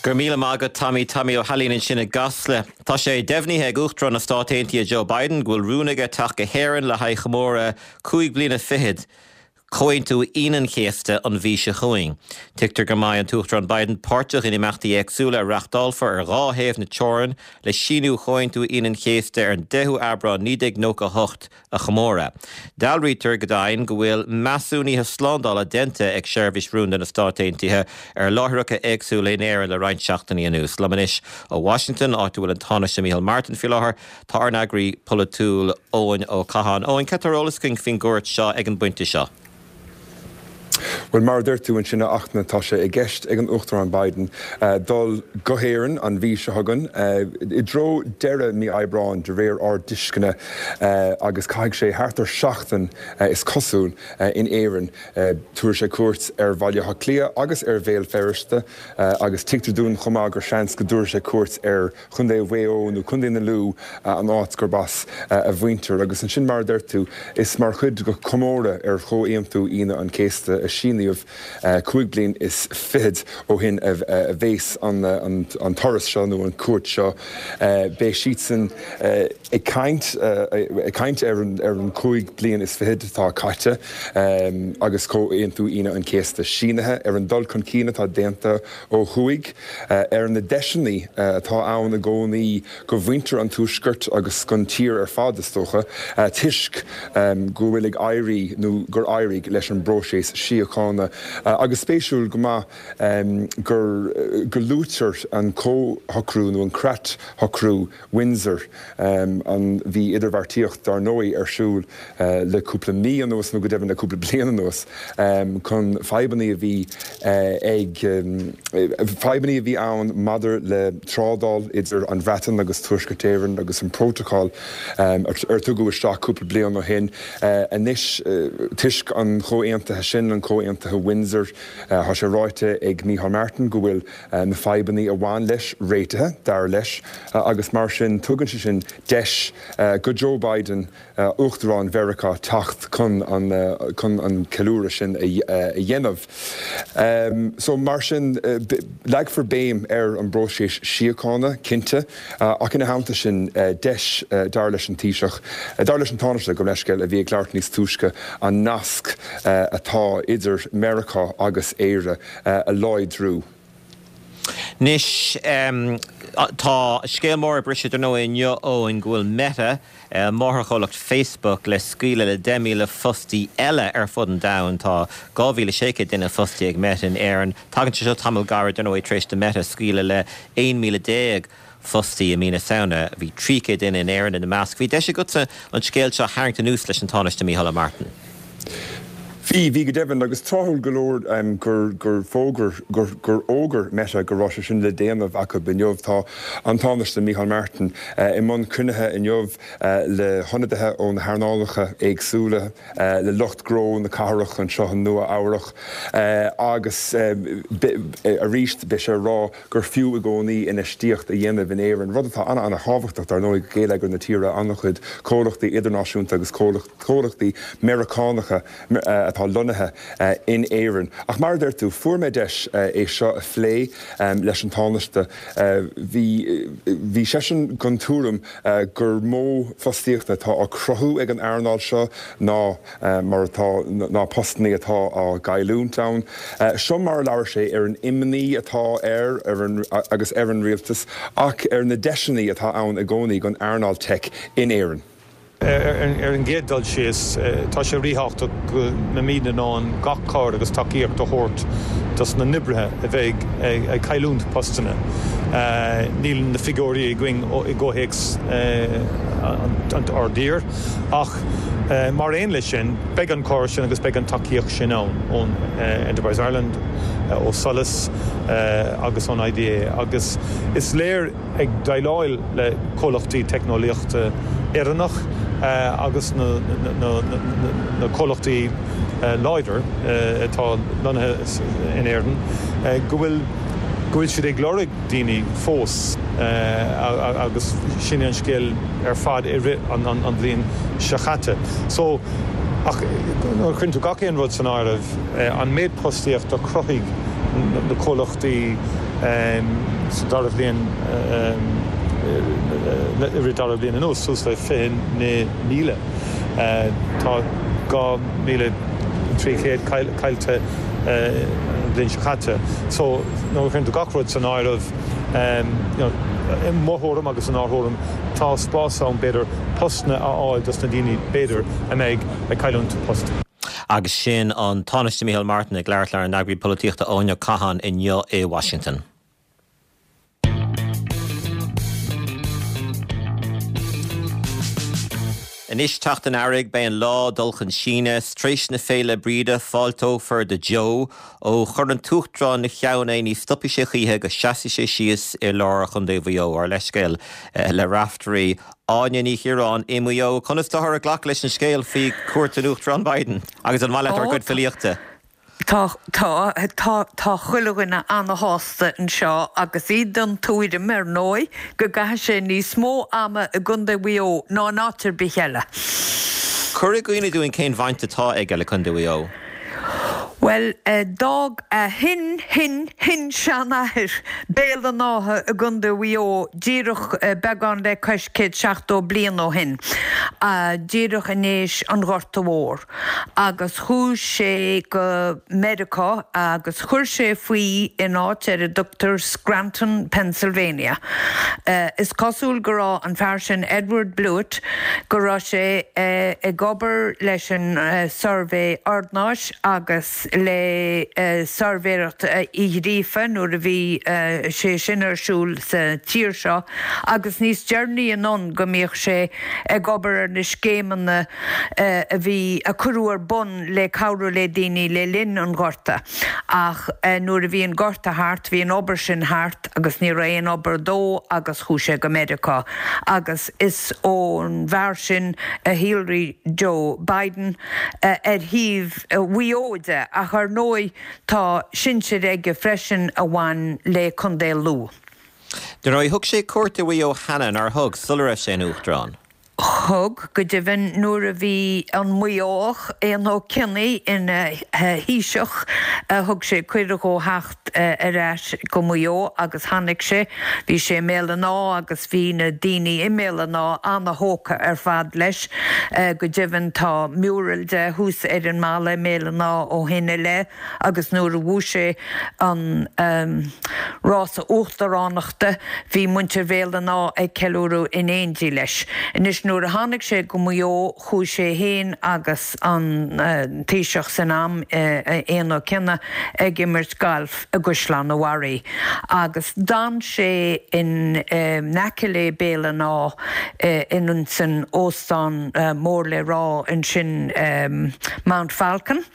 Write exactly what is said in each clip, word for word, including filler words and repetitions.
Gur míle maith agat Tommy Tommy Ó hAilín ansin i gCasla. Tá sé deimhnithe ag Uachtarán na Stát Aontaithe Joe Biden go bhfuil rún aige teacht go hÉirinn le haghaidh chomóradh cúig bliana fichead Chomhaontú Aoine an Chéasta an mhí seo chugainn. Tuigtear go mbeidh an tUachtarán Biden páirteach in imeachtaí éagsúla a reáchtálfar ar dhá thaobh na teorann le síniú Chomhaontú Aoine an Chéasta ar an deichiú Aibreán naoi déag nócha hocht a chomóradh. Dealraítear go deimhin go bhfuil measúnuithe slándála déanta ag Seirbhís Rúnda na Stát Aontaithe ar láithreacha éagsúla in Éirinn le roinnt seachtainí anuas. Liom anois ó Washington áit a bhfuil an Tánaiste Micheál Martin faoi láthair tá ár n-eagraí polaitiúil Eoin Ó Catháin. Eoin cad tá ar eolas againn faoin gcuairt seo ag an bpointe seo. Well mar deir tú ansin a Fhachtna tá sé i gceist ag an Uachtarán Biden uh, dul go hÉirinn an mhí seo chugainn uh, i dtreo deireadh mí Aibreáin de réir ár dtuisceana uh, agus caithfidh sé thart ar seachtain uh, is cosúil uh, in Éirinn uh, tabharfaidh sé cuairt ar Bhaile Átha Cliath agus ar Bhéal Feirste uh, agus tuigtear dúinn chomh maith gur seans go dtabharfaidh sé cuairt ar Chontae Mhaigh Eo nó Contae na Lú uh, an áit gurb as uh, a mhuintir agus ansin mar deir tú is mar chuid de chomóradh ar Chomhaontú Aoine an Chéasta a síníodh cúig bliana is fichead ó shin a bheas an, an, an turas seo nó an cuairt seo beidh siadsan ag caint ag caint ar an ar an cúig bliana is fichead atá caite agus Comhaontú Aoine an Chéasta sínithe ar an dul chun cinn atá déanta ó thuaidh ar na deiseanna atá ann i gcónaí do mhuintir an tuaiscirt agus don tír ar fad is dócha toisc go bhfuil ag éirí nó gur éirigh leis an bpróiseas síochána agus spéisiúil go maith gur go luaitear an comhshocrú nó an creatshocrú Windsor an bhí idirbheartaíocht dar ndóigh ar siúl le cúpla mí anuas nó go deimhin le cúpla bliain anuas chun fadhbanna a bhí ag fadhbanna a bhí ann maidir le trádáil idir an Bhreatain agus Tuaisceart Éireann agus an protocol ar tugadh isteach cúpla bliain ó shin anois toisc an chomhaontaithe sin an comhaontaithe Windsor tá sé ráite ag Micheál Martin go bhfuil na fadhbanna a bhain leis réitithe dar leis agus mar sin tugann sé sin deis do Joe Biden Uachtarán Mheiriceá teacht chun an chun an ceiliúradh sin a dhéanamh. Um, so mar sin leagfar béim ar an bpróiseas síochána cinnte ach ina theannta sin deis dar leis an Taoiseach, dar leis an Tánaiste go leiscéil a bhí ag labhairt níos túisce an nasc atá idir Meiriceá agus Éire a láidriú. Anois um, tá scéal mór briseadh nó inniu Eoin go bhfuil Meta uh, máthairchomhlacht Facebook le scaoileadh le deich míle fostaí eile ar fud an domhain tá dhá mhíle sé chéad duine fostaí ag Meta in Éirinn. Tagann sé seo tamall gairid nó tar éis do Meta scaoileadh le aon míle déag fostaí i mí na Samhna bhí trí chéad duine in Éirinn ina measc. Bhí deis agatsa an scéal seo a tharraingt anuas leis an Tánaiste Micheál Martin. Bhí bhí go deimhin agus tráthúil go leor um, gur gur fógair gur gur fhógair Meta go raibh sé sin le déanamh acu inniu tá an Tánaiste Micheál Martin uh, i mbun cruinnithe inniu uh, le hionadaithe ó na hearnálacha éagsúla uh, le lucht gnó na cathrach anseo i Nua-Eabhrac uh, agus uh, arís beidh sé ag rá gur fiú i gcónaí infheistíocht a dhéanamh in Éirinn rud atá an an-thábhachtach dar ndóigh geilleagar na tíre an-chuid comhlachtaí idirnáisiúnta agus comhlachtaí Meiriceánacha uh, atá lonnaithe uh, in Éirinn. Ach mar deir tú fuair mé deis uh, é seo a phlé um, leis an Tánaiste uh, bhí bhí seisean den tuairim uh, gur mó fostaíocht atá á cruthú ag an earnáil seo ná uh, mar atá ná postanna atá á gcailliúint ann. Uh, seo mar labhair sé ar an imní atá air ar an, agus ar an rialtas ach ar na deiseanna atá ann i gcónaí don earnáil tech in Éirinn. Ar an gcéad dul síos tá sé ríthábhachtach go mbeimid in ann gach cabhair agus tacaíocht a thabhairt dos na hoibrithe a bheidh ag cailliúint postanna. Níl na figiúirí againn i gcomhthéacs ár dtír ach mar aon leis sin beidh an cabhair sin agus beidh an tacaíocht sin ann ón Enterprise Ireland ó SOLAS agus ón IDA agus is léir ag déileáil le comhlachtaí teicneolaíochta Éireannach agus na, na, na, na comhlachtaí láidir atá lonnaithe in Éirinn go bhfuil go bhfuil siad ag lorg daoine fós agus sin an scéal ar fad i rith an, an, an bhliain seo caite. So ach cuireann tú gach aon rud san áireamh an méid postaíocht a chruthaigh na comhlachtaí Sa dara bhliain i rith dara bliain anuas suas le fiche naoi míle. Tá dhá mhíle trí chéad caillte an bhliain seo caite. So nuair a chuireann tú gach rud san áireamh, you know, i mo thuairim agus inár dtuairim, tá spás ann b'fhéidir postanna a fháil dos na daoine b'fhéidir a mbeidh ag cailliúint post. Agus sin an Tánaiste Micheál Martin ag labhairt lenár n-eagraí polaitíochta Áine Cahan inniu i Washington. Anois teacht an earraigh, beidh an lá ag dul chun síneadh. Tar éis na Féile Bríde, fáilteofar do Joe. Ó chuir an tUachtarán ina cheann é, ní stopfaidh sé choíche go seasfaidh sé síos i lár Chontae Mhaigh Eo. Ár leithscéal le Raiftearaí. Áine Ní Chiaráin i Maigh Eo, conas táthar ag glacadh leis an scéal faoi chuairt an Uachtaráin Biden? Agus an maith leat ár gcuid filíochta? Tá, tá, tá, tá chuile dhuine ana-shásta anseo agus iad den tuairim, ar ndóigh, go gcaithfidh sé níos mó ama i gContae Mhaigh Eo ná in áit ar bith eile. Cuir i gcuimhne dúinn cén bhaint atá aige le Contae Mhaigh Eo. Bhuel, d'fhág a shin-shin-shin-seanathair Béal an Átha i gContae Mhaigh Eo díreach beagán le cois céad seachtó bliain ó shin, díreach in éis an Ghorta Mhór, agus chuaigh sé go Meiriceá agus chuir sé faoi in áit ar a dtugtar Scranton, Pennsylvania. Is cosúil go raibh an fear sin, Edward Blewitt, go raibh sé ag obair leis an Suirbhé Ordanáis agus le Suirbhéireacht Uí Ghríofa nuair a bhí sé sin ar siúl sa tír seo agus níos deireanaí anonn go mbíodh sé ag obair ar na scéimeanna a bhí a cuireadh ar bun le cabhrú le daoine le linn an Ghorta. Ach nuair a bhí an Gorta thart bhí an obair sin thart agus ní raibh aon obair dó agus chuaigh sé go Meiriceá agus is ón bhfear sin a shíolraigh Joe Biden ar thaobh Mhaigh Eo de, ach ar ndóigh tá sinsir aige freisin a bhain le Contae Lú. Dar ndóigh, thug sé cuairt ar Mhaigh Eo cheana, nár thug, sula raibh sé ina Uachtarán? Thug, go deimhin, nuair a bhí an Maigheoach, Éanna Ó Cionnaith, ina Thaoiseach, thug sé cuireadh dhó theacht ar ais go Maigh Eo agus tháinig sé. Bhí sé i mBéal an Átha agus bhí na daoine i mBéal an Átha ana-thógtha ar fad leis. Go deimhin, tá mural de thuas ar an mballa i mBéal an Átha ó shin i leith agus nuair a bhuaigh sé an rása uachtaránachta, bhí muintir Bhéal an Átha ag ceiliúradh in éindí leis. Anois nuair a tháinig sé go Maigh Eo, chuaigh sé féin agus an Taoiseach san am, Éanna Ó Cionnaith, ag imirt gailf i gCaisleán an Bharraigh agus d'fhan sé in aice le Béal an Átha in san óstán mór le rá ansin, Mount Falcon,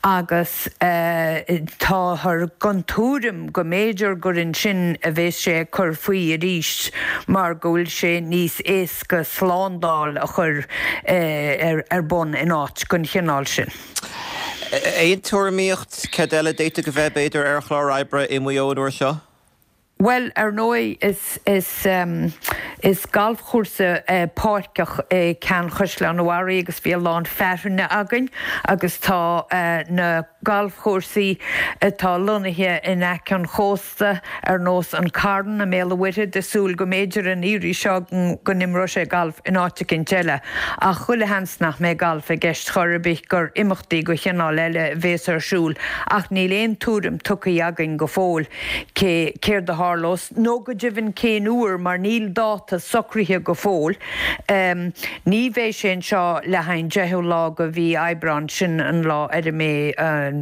agus táthar den tuairim go mb'fhéidir gur ansin a bheas sé ag cur faoi arís mar go bhfuil sé níos éasca slándáil a chur ar bun in áit den chineál sin. Aon tuairimíocht céard eile a d'fhéadfadh a bheith, b'fhéidir, ar chlár oibre i Maigh Eo an uair seo? Bhuel, ar ndóigh, is, is, is galfchúrsa páirceach é ceann Chaisleán an Bharraigh agus bhí a lán fearthainne againn agus tá na galfchúrsaí atá lonnaithe in aice an chósta, ar nós An Carn i mBéal an Mhuirthead, ag súil go mb'fhéidir an iarraidh seo go n-imreoidh sé galf in áit eicínt eile. Ach chuile sheans nach mbeidh galf i gceist chor ar bith, gur imeachtaí de chineál eile a bhéas ar siúl. Ach níl aon tuairim tugtha againn go fóill cé céard a tharlós, nó go deimhin cén uair, mar níl dáta socraithe go fóill. Ní bheidh sé anseo le haghaidh an deichiú lá de mhí Aibreáin, sin an lá ar a mbeidh an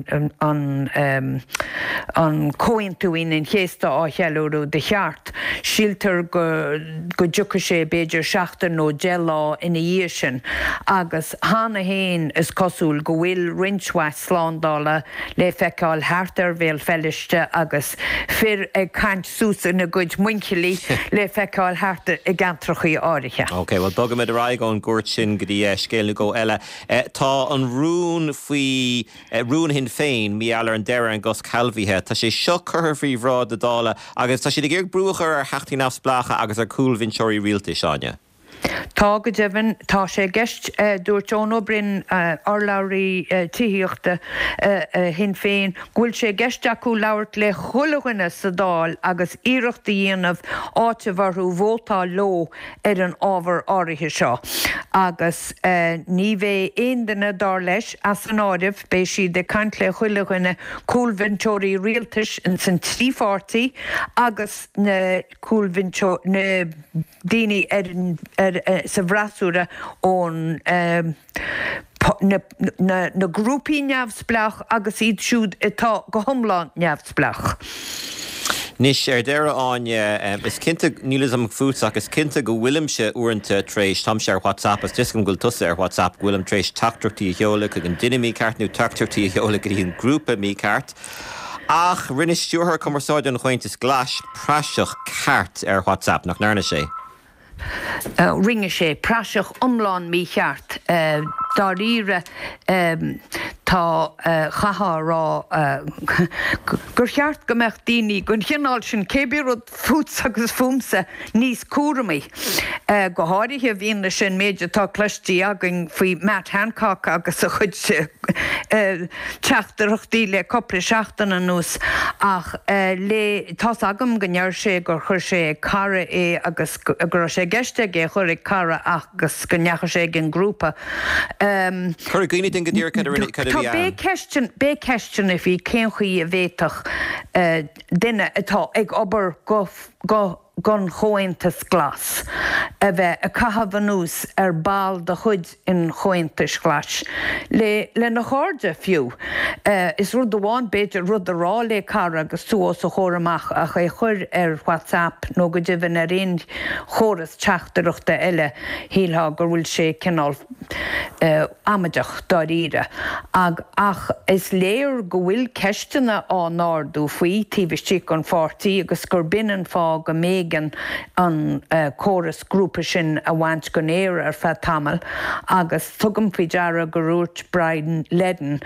an Comhaontú Aoine an Chéasta á cheiliúradh de cheart. Síltear go go dtiocfaidh sé b'fhéidir seachtain nó deich lá ina dhiaidh sin. Agus cheana féin is cosúil go bhfuil roinnt mhaith slándála le feiceáil thart ar Bhéal Feirste agus fir ag caint suas ina gcuid muinchillí le feiceáil thart i gceantrachaí áirithe. Ok, bhuel bogfaimid ar aghaidh ón gcuairt sin go dtí scéal nó dhó eile. Tá an rún faoi rún Shinn Féin mar gheall ar an deireadh ar an gcosc sealbhaithe, tá sé seo curtha faoi bhráid na Dála agus tá siad ag iarraidh brú a chur ar Theachtaí Neamhspleácha agus ar chúlbhinseoirí rialtais, Áine. Tá go deimhin, tá sé i gceist, dúirt Eoin Ó Broin, urlabhraí tithíochta Shinn Féin, go bhfuil sé i gceist acu labhairt le chuile dhuine sa Dáil agus iarracht a dhéanamh áiteamh orthu vótáil leo ar an ábhar áirithe seo. Agus ní bheidh aon duine, dar leis, as an áireamh, beidh siad ag caint le chuile dhuine, cúlbhinseoirí rialtais ins an trí pháirtí agus na cúlbhinseoirí, na daoine ar an ar sa bhfreasúra ón na na grúpaí neamhspleách agus iad siúd atá go hiomlán neamhspleách. Anois, ar deireadh, Áine, is cinnte, níl a fhios agam fútsa ach is cinnte go bhfuilimse uaireanta tar éis, táimse ar WhatsApp is tuigim go bhfuil tusa ar WhatsApp, go bhfuilim tar éis teachtaireachtaí a sheoladh chuig an duine mícheart nó teachtaireachtaí a sheoladh go dtí an grúpa mícheart. Ach rinne Stiúrthóir Cumarsáide an Chomhaontais Ghlais praiseach ceart ar WhatsApp, nach ndearna sé? Rinne sé praiseach iomlán mícheart. Dáiríre, tá, chaithfeá a rá gur cheart go mbeadh daoine den chineál sin, cé bith rud fútsa agus fúmsa, níos cúramaí. Go háirithe i bhfianaise an méid atá cloiste againn faoi Matt Hancock agus a chuid teachtaireachtaí le cúpla seachtain anuas. Ach le, tá's agam go ndeir sé gur chuir sé ag cara é agus go raibh sé i gceist aige é a chur ag cara agus go ndeachaigh sé ag an ngrúpa. Cuir i gcuimhne dúinn go díreach cad a rinne, cad a bhí ann. Beidh ceisteanna faoi cén chaoi a bhféadfadh duine atá ag obair go go don Chomhaontas Glas a bheith ag caitheamh anuas ar ball de chuid an Chomhaontais Ghlais, le lena chairde fiú. Is rud amháin b'fhéidir rud a rá le cara agus tú os a chomhair amach ach é a chur ar WhatsApp nó go deimhin ar aon chóras teachtaireachta eile, shílfeá go bhfuil sé cineál amaideach dáiríre. Ach is léir go bhfuil ceisteanna á n-ardú faoi taobh istigh den pháirtí agus gur b'in an fáth go mb'éigean an córas grúpa sin a bhaint den aer ar feadh tamaill agus tugaim faoi deara gur dhúirt Brian Leddin,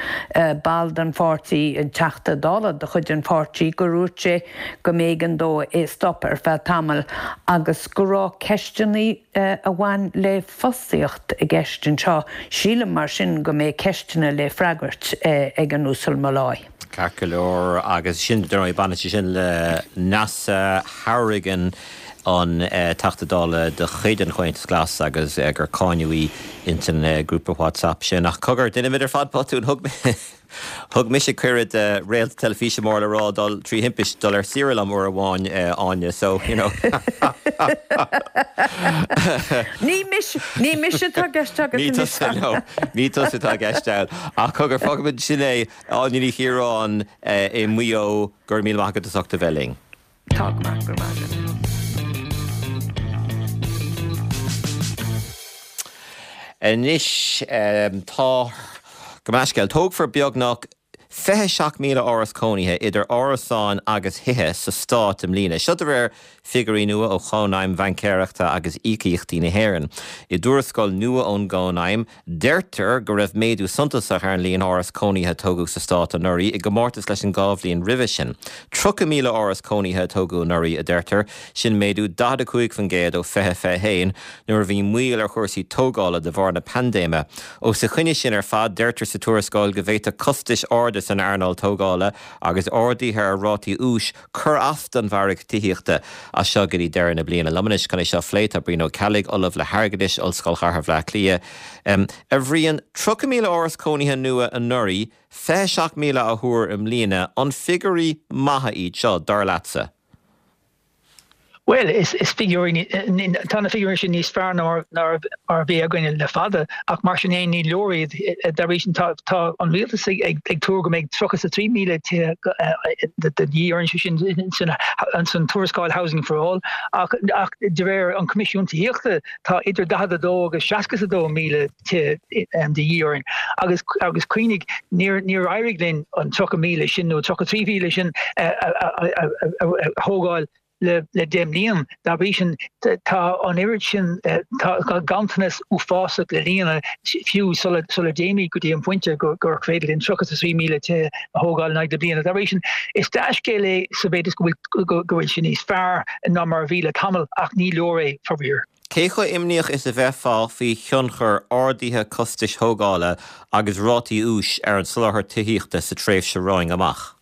ball den pháirtí, an Teachta Dála de chuid an pháirtí, gur dhúirt sé go mb'éigean dó é stop ar feadh tamaill agus go raibh ceisteanna a bhain le fostaíocht i gceist anseo. Sílim mar sin go mbeidh ceisteanna le freagairt ag an Uasal Molloy. Ceart go leor, agus sin, dar ndóigh, baineann sé sin le Neasa Hourigan, an Teachta Dála de chuid an Chomhaontais Ghlais agus gur cáineadh í ins an grúpa WhatsApp sin. Ach cogar, déanaimid ar fad botún, thug thug mise cuireadh do réalt teilifíse mór le rá dul trí thimpist dul ar saoire liom uair amháin, Áine, so, you know. Ní mise, ní mise atá i gceist agat Ní tusa, no, ní tusa atá i gceist ann. Ach cogar, fágfaimid sin é, Áine Ní Chiaráin i Maigh Eo, go raibh míle maith agat as ucht a bheith linn. Tá go maith, go raibh maith agat. Anois tá, gabh mo leithscéal, tógfar beagnach fiche seacht míle áras cónaithe idir árasáin agus thithe sa stát i mbliana. Seo de réir figiúirí nua ó Chónaidhm Bhaincéireachta agus Íocaíochtaí na hÉireann. I dtuarascáil nua ón gCónaidhm, deirtear go raibh méadú suntasach ar an líon áras cónaithe a tógadh sa stát anuraidh i gcomórtas leis an dhá bhliain roimhe sin. Tríocha míle áras cónaithe a tógadh anuraidh, a deirtear, sin méadú daichead a cúig faoin gcéad ó fiche fiche a haon, nuair a bhí moill ar chúrsaí tógála de bharr na paindéime. Os a choinne sin ar fad, deirtear sa tuarascáil go bhféadfadh costais arda san earnáil tógála agus arduithe ar rátaí úis cur as don mhargadh tithíochta as seo go dtí deireadh na bliana. Liom anois chun é seo a phlé tá Brian Ó Ceallaigh, Ollamh le hAirgeadas, Ollscoil Chathair Bhaile Átha Cliath. A Bhriain, tríocha míle áras cónaithe nua anuraidh, fiche seacht míle á thuar i mbliana, an figiúirí maithe iad seo, dar leatsa? Bhuel, is figiúirí, tá na figiúirí sin níos fearr ná mar a bhí againn le fada, ach mar sin féin ní leor iad. Dá bhrí sin tá an rialtas ag tuar go mbeidh tríocha is a trí míle tithe de dhíth orainn, sé sin san tuarascáil Housing for All, ach de réir an Choimisiúin Tithíochta tá idir daichead a dó agus seasca is a dó míle tithe de dhíth orainn. Agus agus cuimhnigh, níor níor éirigh linn an tríocha míle sin nó tríocha trí mhíle sin a thógáil le le deich mbliana. Dá bhrí sin, tá an oiread sin, tá ganntanas uafásach le líonadh fiú sula sula dtéimid go dtí an pointe gur gur féidir linn tríocha is a trí míle tithe a thógáil in aghaidh na bliana. Dá bhrí sin, is dea-scéal é sa mhéid is go bhfuil go bhfuil sé níos fearr ná mar a bhí le tamall ach ní leor é, faraor. Cé chomh imníoch is a bheifeá faoi thionchar ardaithe costais thógála agus rátaí úis ar an soláthar tithíochta sa tréimhse romhainn amach?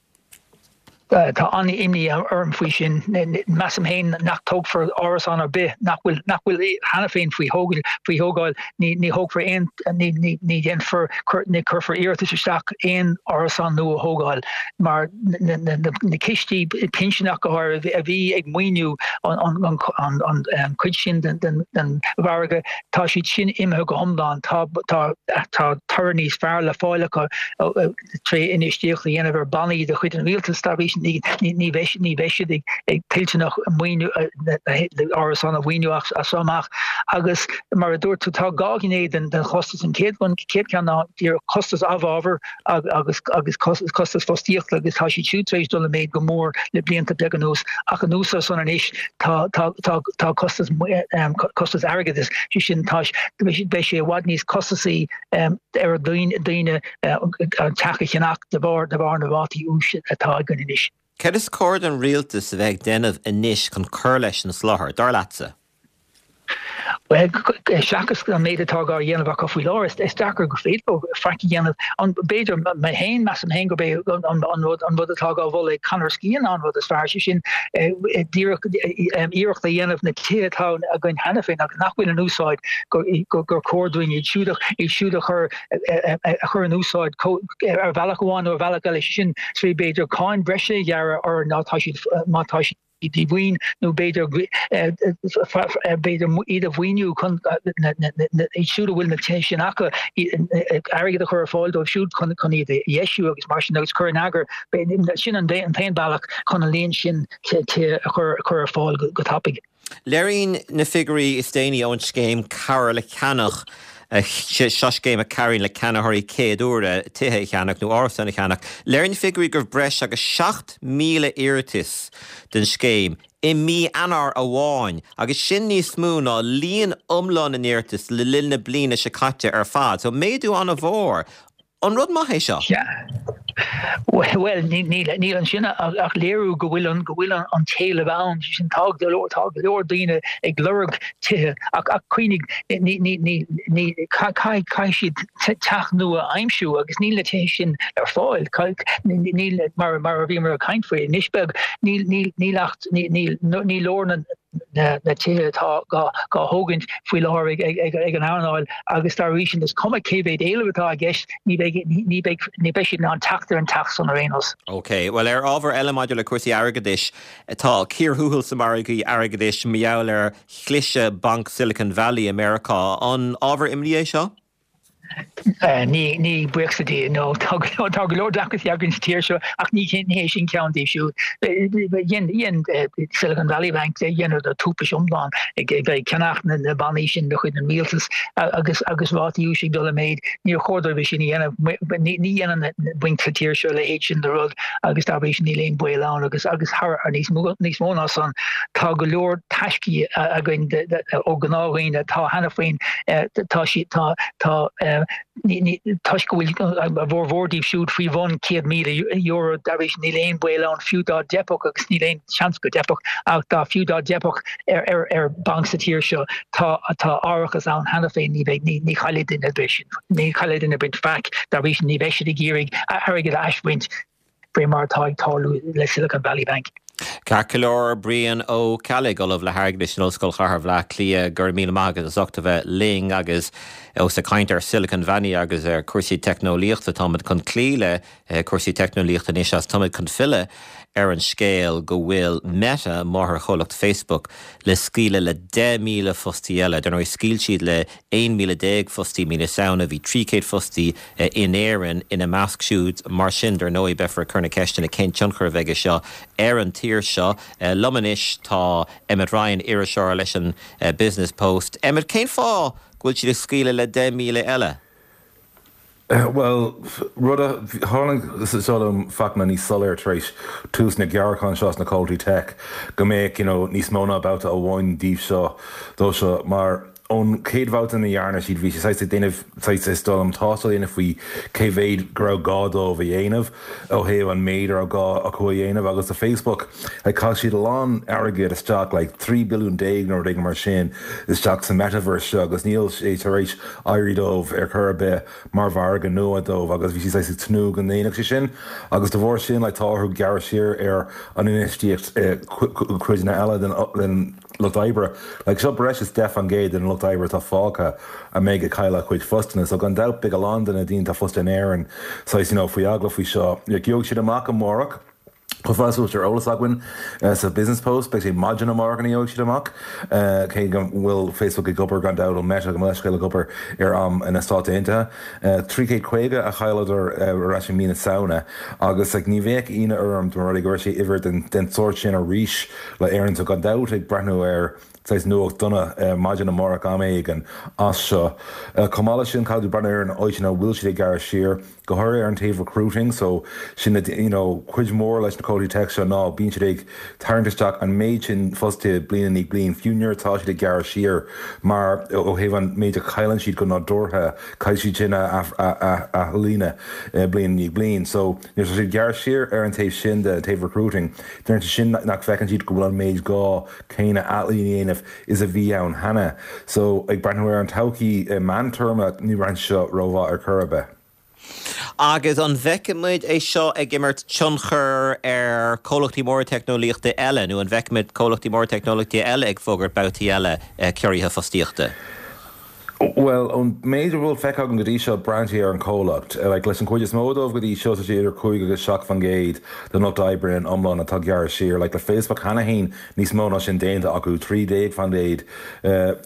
Tá an-imní orm faoi sin. Measaim féin nach dtógfar árasán ar bith nach bhfuil nach bhfuil cheana féin faoi thógáil faoi thógáil. Ní ní thógfar aon ní ní ní dhéanfar ní cuirfear iarratas isteach aon árasán nua a thógáil mar na na na cistí pinsin ach go háirithe a bhí ag maoiniú an an an an an cuid sin den den den mhargadh tá siad sin imithe go hiomlán. Tá tá tá toradh níos fearr le fáil acu tré infheistíocht a dhéanamh ar bannaí de chuid an rialtais dá bhrí sin ní ní bheidh ní bheidh siad ag ag toilteanach maoiniú árasán a mhaoiniú as seo amach agus mar a dúirt tú tá dhá ghné den den chostas an chéad an chéad ceann ná díreach costas amhábhar agus agus costas fostaíochta agus tá siad siúd tar éis dul i méid go mór le blianta beaga anuas ach anuas air san anois tá tá tá tá costas costas airgeadais sé sin tá beidh sé i bhfad níos costasaí ar daoine daoine an teach a cheannach de bharr de bharr na rátaí úis atá againn anois. Cad is cóir don rialtas a bheith ag déanamh anois chun cur leis an soláthar, dar leatsa? Bhuel, seachas an méid atá á dhéanamh acu faoi láthair, is deacair gur féidir leo faic a dhéanamh. An b'fhéidir mé féin, measaim féin gurb é an rud an rud atá á mholadh ag Conor Skehan an rud is fearr, sé sin díreach iarracht a dhéanamh na tithe atá againn cheana féin agus nach bhfuil in úsáid gur chóir dúinn iad siúd iad siúd a chur a chur in úsáid ar bhealach amháin nó ar bhealach eile, sé sin trí b'fhéidir cáin bhreise a ghearradh orthu má tá siad má tá siad díomhaoin nó b'fhéidir b'fhéidir iad a mhaoiniú chun iad siúd a bhfuil na tithe sin acu airgead a chur ar fáil dóibh siúd chun chun iad a dheisiú agus mar sin agus cur in eagar sin an t-aon bealach chun an líon sin tithe a chur chur ar fáil go tapaidh. Léiríonn na figiúirí is déanaí ón scéim Cabhair le Ceannach, seo scéim a chabhraíonn le ceannaitheoirí céad uaire tithe a cheannach nó árasán a cheannach, léiríonn na figiúirí go raibh breis agus seacht míle iarratas don scéim i mí Eanáir amháin agus sin níos mó ná líon iomlán na n-iarratas le linn na bliana seo caite ar fad. So méadú an-mhór. An rud maith é seo? Bhuel, níl ansin ach léiriú go bhfuil an go bhfuil an t-éileamh ann, sé sin tá go leor tá go leor daoine ag lorg tithe ach ach cuimhnigh ní ní ní ní caithfidh caithfidh siad teach nua a aimsiú agus níl na tithe sin ar fáil. Níl mar mar a bhíomar ag caint faoi anois beag níl níl níl ach ní ní ní leor na na tithe atá á dtógaint faoi láthair ag an earnáil agus dá bhrí sin is cuma cé mhéad éileamh atá i gceist ní bheidh ní bheidh ní bheidh siad in ann teacht ar an teach san ar aon nós. Ok, bhuel ar ábhar eile maidir le cúrsaí airgeadais, tá cíor thuathail sna margaí airgeadais mar gheall ar chliseadh Banc Silicon Valley i Meiriceá. An ábhar imní é seo? Ní, ní, buíochas le Dia, no. Tá go leor deacrachtaí againn sa tír seo ach ní hé sin ceann díobh siúd. Dhein, dhein Silicon Valley Bank, dheineadar tubaiste iomlán ag bheith ag ceannach na na bannaí sin de chuid an rialtais agus agus rátaí úis ag dul i méid. Níor chóir dóibh é sin a dhéanamh. Ní ní dhéanann na bainc sa tír seo a leithéid sin de rud agus dá bhrí sin níl aon baol ann agus agus thar níos mó níos mó ná san tá go leor taiscí againn ó ghnáthdhaoine atá cheana féin tá siad tá tá Toisc go bhfuil a bhformhór díobh siúd faoi bhun céad míle euro, dá bhrí sin níl aon baol ann fiú dá dteipfeadh, agus níl aon seans go dteipfeadh, ach dá fiú dá dteipfeadh ar ar banc sa tír seo, tá tá árachas ann cheana féin, ní bheidh, ní ní chaillfidh duine ar bith sin, ní chaillfidh duine ar bith faic, dá bhrí sin ní bheidh siad ag iarraidh airgead a aisbhaint. faoi mar atá ag tarlú le Silicon Valley Bank. Ceart go leor, Brian Ó Ceallaigh, Ollamh le hAirgeadas in Ollscoil Chathair Bhaile Átha Cliath, go raibh míle maith agat as ucht a bheith linn agus ós ag caint ar Silicon Valley agus ar cúrsaí teicneolaíochta, táimid chun cloí le cúrsaí teicneolaíochta anois as táimid chun filleadh ar an scéal go bhfuil Meta, máthairchomhlacht Facebook, le scaoileadh le deich míle fostaí eile. Dar ndóigh, scaoil siad le aon míle déag fostaí mí na Samhna, bhí trí chéad fostaí in Éirinn ina measc siúd. Mar sin, dar ndóigh, beifear ag cur na ceisteanna cén tionchar a bheidh aige seo ar an tír seo. Liom anois tá Emmet Ryan, iriseoir leis an Business Post. Emmet, cén fáth go bhfuil siad ag scaoileadh le deich míle eile? Bhuel, rud a tháinig seo liom Fachtna níos soiléir tar éis tús na gceardchan seo sna comhlachtaí tech go mbeadh you know níos mó ná babhta amháin díobh seo dó seo mar Ón chéad bhabhta ina dhearna siad, bhí sé saghas ag déanamh saghas is dóigh liom tástáil a dhéanamh faoi cé mhéad go raibh gá dóibh a dhéanamh ó thaobh an méid a raibh gá acu a dhéanamh agus do Facebook like chaith siad a lán airgid isteach like trí billiún déag nó rud éigin mar sin isteach sa metaverse seo agus níl sé tar éis éirí dóibh ar chor ar bith mar mhargadh nua dóibh agus bhí siad saghas ag tnúth go ndéanfadh sé sin agus de bharr sin like tá orthu gearradh siar ar an infheistíocht i cuideanna eile den lucht oibre. Like seo breis is deich faoin gcéad den lucht oibre atá fágtha a mbeidh ag cailleadh a chuid phostanna. So gan dabht beidh a lán de na daoine atá fostaithe in Éirinn saghas you know faoi agallamh faoi seo. Like gheobhaidh siad amach amárach. Chomh fada is a bhfuil ar eolas againn sa Business Post beidh sé maidin amárach ina gheobhaidh siad amach. Cé go bhfuil Facebook ag obair gan dabht ó Meta gabh mo leithscéal ag obair ar am na Stát Aontaithe. Trí chéad caoga a chailleadar ar ais i mí na Samhna agus like ní bheadh ionadh orm dá mba rud é go raibh sé uimhir den den sórt sin arís le Éirinn so gan dabht ag breathnú ar saghas nuacht dona maidin amárach am éigin as seo. Chomh maith leis sin caithfidh tú breathnú ar an áit ina bhfuil siad ag gearradh siar, go háirithe ar an taobh recruiting so sin na you know cuid mhór leis na comhlachtaí tech seo ná bíonn siad ag tarraingt isteach an méid sin fostaithe bliain i ndiaidh bliain fiú nuair atá siad ag gearradh siar mar ó thaobh an méid a chailleann siad go nádúrtha caithfidh siad sin a athlíonadh bliain i ndiaidh bliain so nuair atá siad ag gearradh siar ar an taobh sin de, an taobh recruiting deireann sé sin nach bhfeiceann siad go bhfuil an méid gá céanna athlíonadh a dhéanamh is a bhí ann cheana so ag breathnú ar an todhchaí meántéarma ní bhreathnaíonn sé seo rómhaith ar chor ar bith. Agus an bhfeicfimid é seo ag imirt tionchar ar chomhlachtaí móra teicneolaíochta eile nó an bhfeicfimid comhlachtaí móra teicneolaíochta eile ag fógairt babhtaí eile ciorruithe fostaíochta? Bhuel, ón méid a bhfuil feicthe agam go dtí seo, braitheann sé ar an chomhlacht. Like, leis an chuid is mó dóibh go dtí seo, tá sé idir cúig agus seacht faoin gcéad den lucht oibre in iomlán atá ag gearradh siar. Like, le Facebook cheana féin, níos mó ná sin déanta acu, trí déag faoin gcéad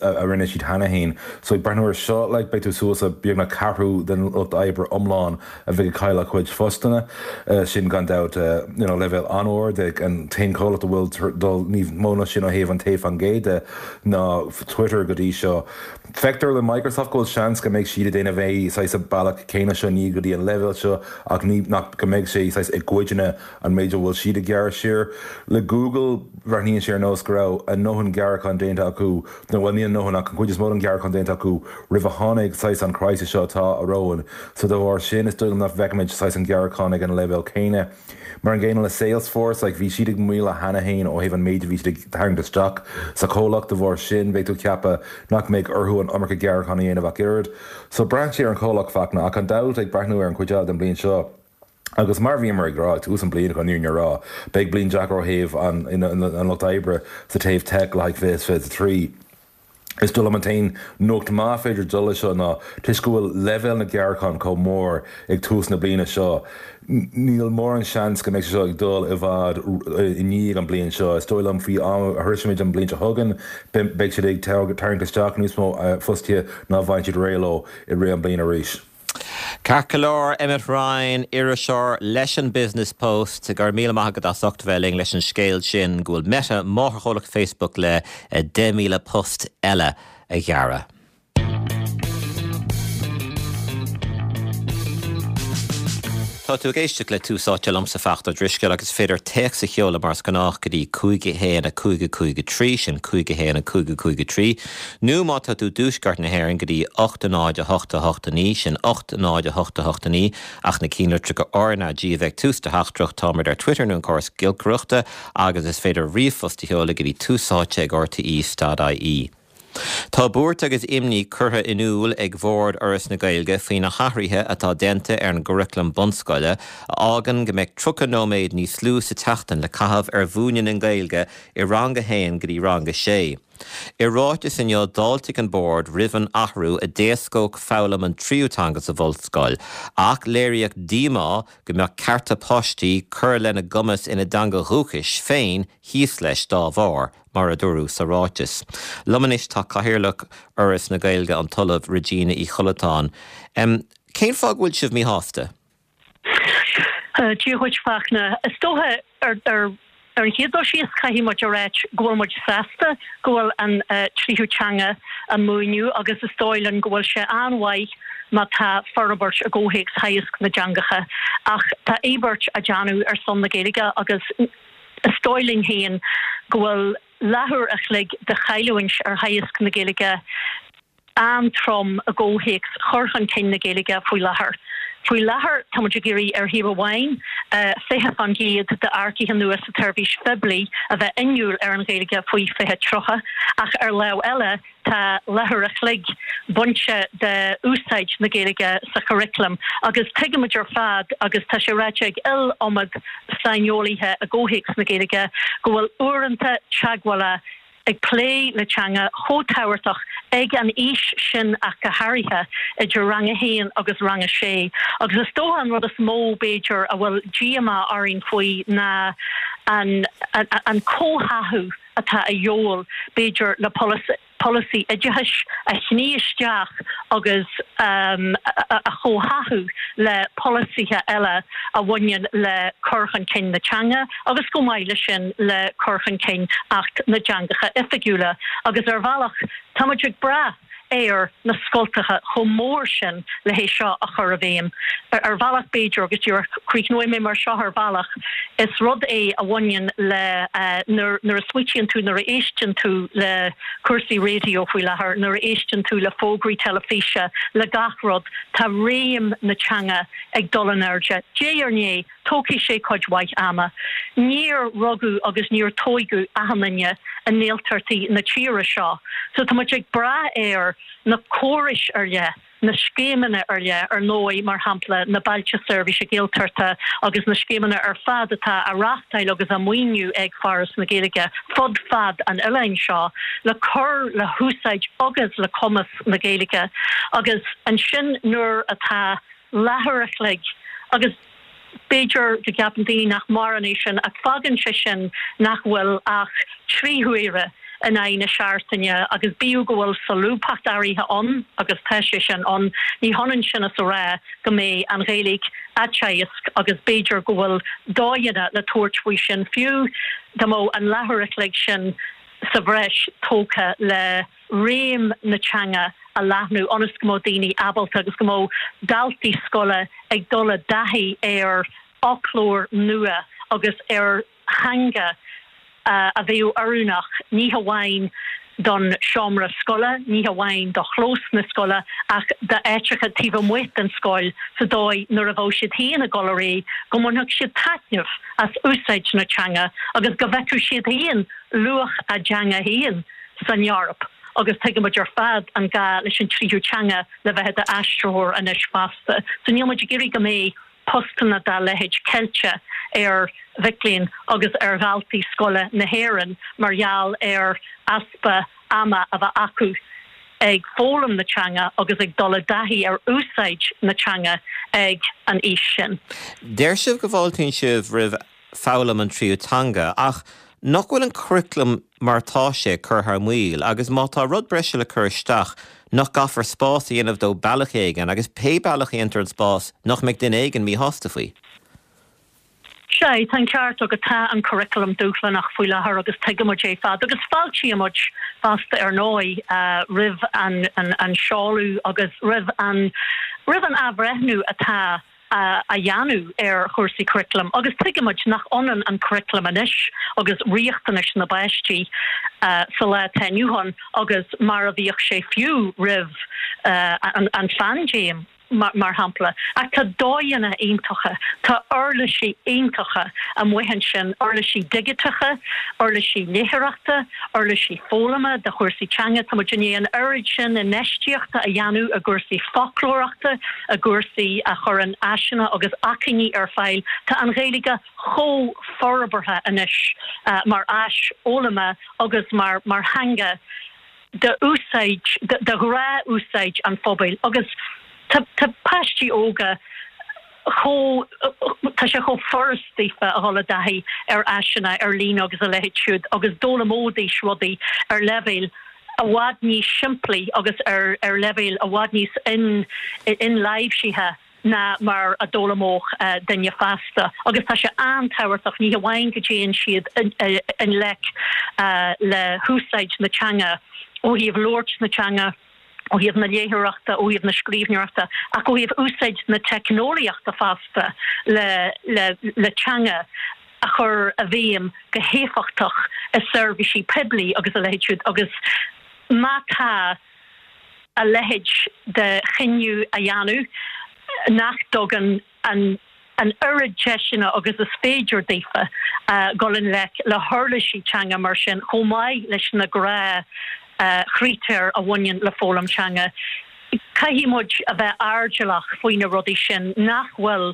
a rinne siad cheana féin. So ag breathnú ar seo, like, beidh tú suas le beagnach ceathrú den lucht oibre iomlán a bheidh ag cailleadh a chuid phostanna. Sin gan dabht, you know, leibhéal an-ard. An t-aon chomhlacht a bhfuil dul níos mó ná sin ó thaobh an taobh faoin gcéad de ná Twitter go dtí seo. Feictear le Microsoft go bhfuil seans go mbeidh siad ag déanamh é saghas an bealach céanna seo, ní go dtí an leibhéal seo ach ní nach go mbeidh sé saghas i gcuideanna an méid a bhfuil siad ag gearradh siar. Le Google, breathnaíonn sé ar nós go raibh a ndóthain gearrachán déanta acu, nó bhuel ní a ndóthain ach an chuid is mó den ghearrachán déanta acu roimh a tháinig saghas an crisis seo atá romhainn. So de bharr sin is dóigh liom nach bhfeicfimid saghas an gearrachán ag an leibhéal céanna. Mar an gcéanna le Salesforce, like bhí siad ag maolú cheana féin ó thaobh an méid a bhí siad ag tarraingt isteach sa chomhlacht, de bharr sin bheadh tú ag ceapadh nach mbeadh orthu an iomarca gearrachán a dhéanamh ach oiread. So braitheann sé ar an chomhlacht, Fachtna, ach gan dabht ag breathnú ar an chuid eile den bhliain seo, agus mar a bhíomar ag rá ag tús an bliain chun an fhírinne a rá, beidh bliain deacair ó thaobh an an lucht oibre sa taobh tech le haghaidh fiche is fiche a trí. Is dóigh liom an t-aon nuacht maith féidir dul leis seo ná toisc go bhfuil leibhéal na gearrachán chomh mór ag tús na bliana seo, níl mórán seans go mbeidh sé seo ag dul i bhfad i ndiaidh an bliain seo. Is dóigh liom faoi am a shroisimid an bliain seo chugainn, beidh siad ag tarraingt isteach níos mó fostaithe ná a bhfaigheann siad réidh leo i rith an bliain arís. Ceart go leor, Emmet Ryan, iriseoir leis an Business Post, go raibh míle maith agat as ucht a bheith linn leis an scéal sin go bhfuil Meta, máthairchomhlacht Facebook, le deich míle post eile a ghearradh. Tá tú ag éisteacht le Tús Áite liomsa Fachtna Ó Drisceoil agus is féidir téacs a sheoladh mar is gnách go dtí cúig a haon a cúig a cúig a trí, sin cúig a haon a cúig a cúig a trí, nó má tá tú i dtuaisceart na hÉireann go dtí ocht a náid a hocht a hocht a naoi, sin ocht a náid a hocht a hocht a naoi, ach na ceannlitreacha R N A G a bheith ag tús do theachtaireacht. Táimid ar Twitter nó an córas giolcaireachta agus is féidir ríomhphost a sheoladh go dtí túsáite ag rte dot ie. Tá buairt agus imní curtha in iúl ag Bhord Fhoras na Gaeilge faoi na hathruithe atá déanta ar an gcuraclam bunscoile a fhágann go mbeidh tríocha nóiméad níos lú sa tseachtain le caitheamh ar mhúineadh na Gaeilge i rang a haon go dtí rang a sé. I ráiteas inniu d'fháiltigh an Bord roimh an athrú a d'éascódh foghlaim an tríú teanga sa bhunscoil ach léiríodh díomá go mbeadh cearta páistí cur lena gcumas ina dteanga dhúchais féin thíos leis dá bharr. mar a dúradh sa ráiteas. Liom anois tá Cathaoirleach Fhoras na Gaeilge, an tOllamh Regina Uí Chollatáin. Cén fáth go bhfuil sibh míshásta? Dia dhuit Fachtna. Is dócha ar ar an chéad dul síos caithfidh muid a ráit go bhfuil muid sásta go bhfuil an tríú teanga á múineadh agus is dóigh linn go bhfuil sé an-mhaith má tá forbairt i gcomhthéacs theagasc na dteangacha ach tá íobairt á déanamh ar son na Gaeilge agus Is dóigh linn féin go bhfuil leathuair a chloig de chailliúint ar theagasc na Gaeilge an-trom i gcomhthéacs chur chun cinn na Gaeilge faoi láthair. Faoi láthair tá muid ag iarraidh ar thaobh amháin fiche faoin gcéad d'earcaithe nua sa tseirbhís phoiblí a bheith inniúil ar an Ghaeilge faoi fiche tríocha ach ar lámh eile tá leathuair a chloig bainte de úsáid na Gaeilge sa churaclam agus tuigimid ar fad agus tá sé ráite ag iliomad saineolaithe i gcomhthéacs na Gaeilge go bhfuil uaireanta teagmhála ag plé le teanga chomh tábhachtach ag an aois sin ach go háirithe idir rang a haon agus rang a sé. Agus is dócha an rud is mó b'fhéidir a bhfuil díomá orainn faoi ná an an comhtháthú atá a dhíobháil b'fhéidir le polasaí oideachais a shní isteach agus a chomhtháthú le polasaithe eile a bhaineann le cur chun cinn na teanga agus chomh maith leis sin le cur chun cinn Acht na dTeangacha Oifigiúla agus ar bhealach tá muid ag brath ar na scoltacha chomh mór sin le hé seo a chur i bhfeidhm. Ar bhealach b'fhéidir agus díreach críochnóidh mé mar seo ar bhealach, is rud é a bhaineann le nuair a smaoitíonn tú, nuair a éisteann tú le cúrsaí raidió faoi láthair, nuair a éisteann tú le fógraí teilifíse, le gach rud, tá réim na teanga ag dul in airde. Diaidh ar ndiaidh, tógfaidh sé cuid mhaith ama. Níor rugadh agus níor tóigeadh achan duine i nGaeltachtaí na tíre seo, so tá muid ag brath ar na córais ar leith, na scéimeanna ar leith, ar ndóigh, mar shampla, na Bailte Seirbhíse Gaeltachta agus na scéimeanna ar fad atá á reáchtáil agus á maoiniú ag Foras na Gaeilge fud fad an oileáin seo le cur le húsáid agus le cumas na Gaeilge agus ansin nuair atá leathuair a chloig agus b'fhéidir go gceapann daoine nach mórán é sin ach fágann sé sin nach bhfuil ach trí huaire in aghaidh na seachtaine agus bíodh go bhfuil solúbthacht áirithe ann agus tá sé sin ann, ní hionann sin is a rá go mbeidh an Ghaeilge á teagasc agus b'fhéidir go bhfuil dóigheanna le tabhairt faoi sin fiú dá mbeadh an leathuair a chloig sin sa bhreis tógtha le réim na teanga a leathnú ionas go mbeadh daoine ábalta agus go mbeadh daltaí scoile ag dul i dtaithí ar fhoclóir nua agus ar theanga a bheadh oiriúnach ní hamháin don seomra scoile, ní hamháin do chlós na scoile ach d'áiteacha taobh amuigh den scoil sa dóigh nuair a bheadh siad féin ag dul ar aghaidh go mbainfeadh siad taitneamh as úsáid na teanga agus go bhfeicfeadh siad féin luach a dteanga féin san Eoraip agus tuigimid ar fad an gá leis an tríú teanga le bheith i d'aistritheoir anois fosta. So níl muid ag iarraidh go mbeidh postanna dá leithéid ceilte ar mhic léinn agus ar dhaltaí scoile na hÉireann mar gheall ar easpa ama a bheith acu ag foghlaim na teanga agus ag dul i dtaithí ar úsáid na teanga ag an aois sin. Deir sibh go bhfáiltíonn sibh roimh foghlaim an tríú teanga, ach nach bhfuil an curaclam mar atá sé ag cur thar maoil agus má tá rud breise le cur isteach, nach gcaithfear spás a dhéanamh dó bealach éigin agus pé bealach a dhéantar an spás, nach mbeidh duine éigin míshásta faoi? Sea, tá an ceart agat, tá an curaclam dúshlánach faoi láthair agus tuigimid é ar fad agus fáiltímid fosta ar ndóigh roimh an seoladh agus roimh an roimh an athbhreithniú atá á dhéanamh ar chúrsaí curaclaim agus tuigimid nach ionann an curaclam anois agus riachtanais na bpáistí sa lá atá inniu ann agus mar a bhíodh sé fiú roimh an phaindéim. mar shampla. Ach tá dóigheanna iontacha, tá uirlisí iontacha amuigh ansin, uirlisí digiteacha, uirlisí léitheoireachta, uirlisí foghlama do chúrsaí teanga. Tá muid i ndiaidh an oiread sin infheistíochta a dhéanamh i gcúrsaí foclóireachta, i gcúrsaí a chuireann áiseanna agus acmhainní ar fáil. Tá an Ghaeilge chomh forbartha anois mar áis fhoghlama agus mar theanga d'úsáid, de ghnáth-úsáid an phobail agus tá tá páistí óga chomh, tá sé chomh furast daofa a dhul i dtaithí ar áiseanna ar líne agus a leithéid siúd agus d'fhoghlaimeoidís rudaí ar leibhéal i bhfad níos simplí agus ar ar leibhéal i bhfad níos in inláimhsithe ná mar a d'fhoghlaimeodh duine fásta agus tá sé an-tábhachtach ní hamháin go dtéann siad i ngleic le húsáid na teanga ó thaobh labhairt na teanga, ó thaobh na léitheoireachta, ó thaobh na scríbhneoireachta ach ó thaobh úsáid na teicneolaíochta fosta le le teanga a chur i bhfeidhm go héifeachtach i seirbhísí poiblí agus a leithéid siúd agus má tá a leithéid de chinneadh a dhéanamh nach dtugann an an oiread deiseanna agus is féidir daofa dul i ngleic le huirlisí teanga mar sin, chomh maith leis na gnáthchritéir a bhaineann le foghlaim teanga. Caithfidh muid a bheith airdeallach faoi na rudaí sin nach bhfuil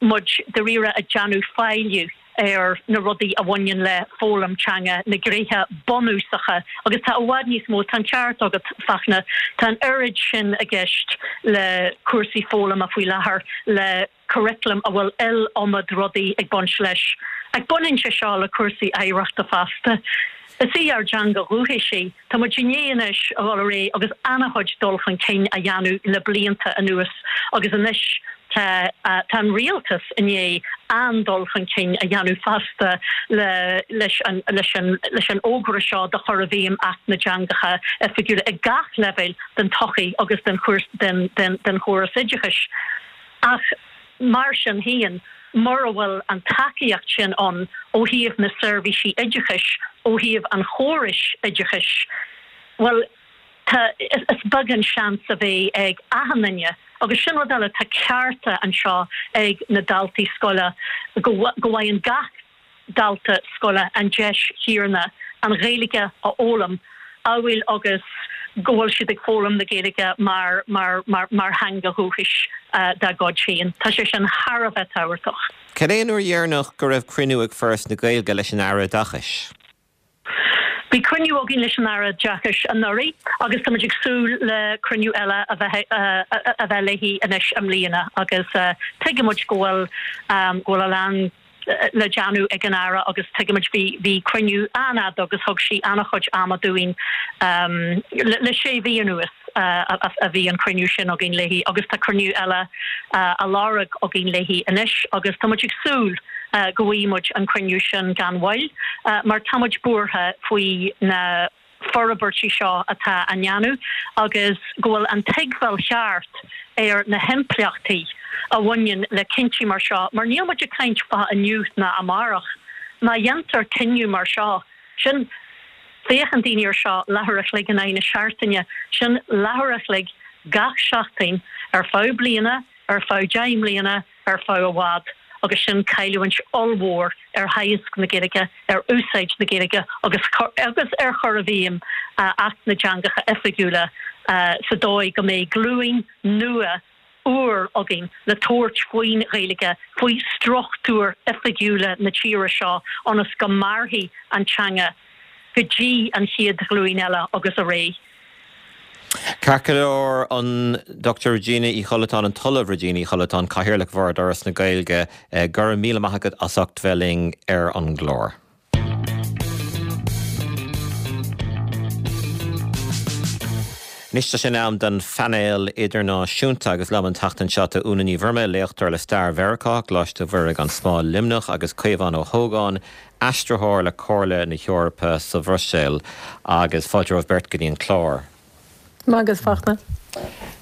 muid dáiríre ag déanamh faillí ar na rudaí a bhaineann le foghlaim teanga, na gnéithe bunúsacha agus tá i bhfad níos mó, tá an ceart agat Fachtna, tá an oiread sin i gceist le cúrsaí foghlama faoi láthair, le curaclam a bhfuil iliomad rudaí ag baint leis. Ach baineann sé seo le cúrsaí oidhreachta fosta. Is í ár dteanga dhúchais í. Tá muid i ndiaidh anois a dhul ar aghaidh agus an-chuid dul chun cinn a dhéanamh le blianta anuas agus anois tá tá an rialtas i ndiaidh an-dul chun cinn a dhéanamh fosta le leis an leis an leis an fhógra seo do chur i bhfeidhm Acht na dTeangacha Oifigiúla ag gach leibhéal den tsochaí agus den den den den chóras oideachais. Ach mar sin féin, mura bhfuil an tacaíocht sin ann ó thaobh na seirbhísí oideachais, ó thaobh an chórais oideachais, bhuel, tá, is beag an seans a bheidh ag achan duine. Agus sin rud eile, tá cearta anseo ag na daltaí scoile go bhfaigheann gach dalta scoile an deis chéanna an Ghaeilge a fhoghlaim, amhail agus go bhfuil siad ag foghlaim na Gaeilge mar mar mar mar theanga dhúchais dá gcuid féin. Tá sé sin thar a bheith tábhachtach. Cad é an uair dheireanach go raibh cruinniú ag Foras na Gaeilge leis an Aire Oideachais? Bhí cruinniú againn leis an Aire Oideachais anuraidh agus táimid ag súil le cruinniú eile a bheith a bheith léi anois i mbliana agus tuigimid go bhfuil go bhfuil a lán le déanamh ag an Aire agus tuigimid bhí bhí cruinniú an-fhada agus thug sí an-chuid ama dúinn le sé mhí anuas a bhí an cruinniú sin againn léi agus tá cruinniú eile á lorg againn léi anois agus tá muid ag súil go bhfaighidh muid an cruinniú sin gan mhoill mar tá muid buartha faoi na forbairtí seo atá á ndéanamh agus go bhfuil an tuigbheáil cheart ar na himpleachtaí a bhaineann le cinntí mar seo, mar níl muid ag caint fá inniu ná amárach. Má dhéantar cinneadh mar seo, sin, féachann daoine air seo leathuair a chloig in aghaidh na seachtaine, sin leathuair a chloig gach seachtain ar feadh bliana, ar feadh deich mbliana, ar feadh i bhfad, agus sin cailliúint ollmhór ar theagasc na Gaeilge, ar úsáid na Gaeilge agus agus ar chur i bhfeidhm Acht na dTeangacha Oifigiúla sa dóigh go mbeidh glúin nua úr againn le tabhairt faoin Ghaeilge, faoi struchtúir oifigiúla na tíre seo ionas go mairfidh an teanga go dtí an chéad ghlúin eile agus ar aghaidh. Ceart go leor, an Dochtúir Regina Uí Chollatáin, an tOllamh Regina Uí Chollatáin, Cathaoirleach Bhord Fhoras na Gaeilge, go raibh míle maith agat as ucht bheith linn ar an gclár. Anois tá sé in am don phainéal idirnáisiúnta agus liom an tseachtain seo tá Úna Ní Mhurmá, léachtóir le Stair Mheiriceá, Coláiste Mhuire gan Smál, Luimneach, agus Caomhán Ó hÓgáin, aistritheoir le Comhairle na hEorpa sa Bhruiséil. Agus fáilte romhaibh beirt go dtí an clár. Maith agat, Fachtna.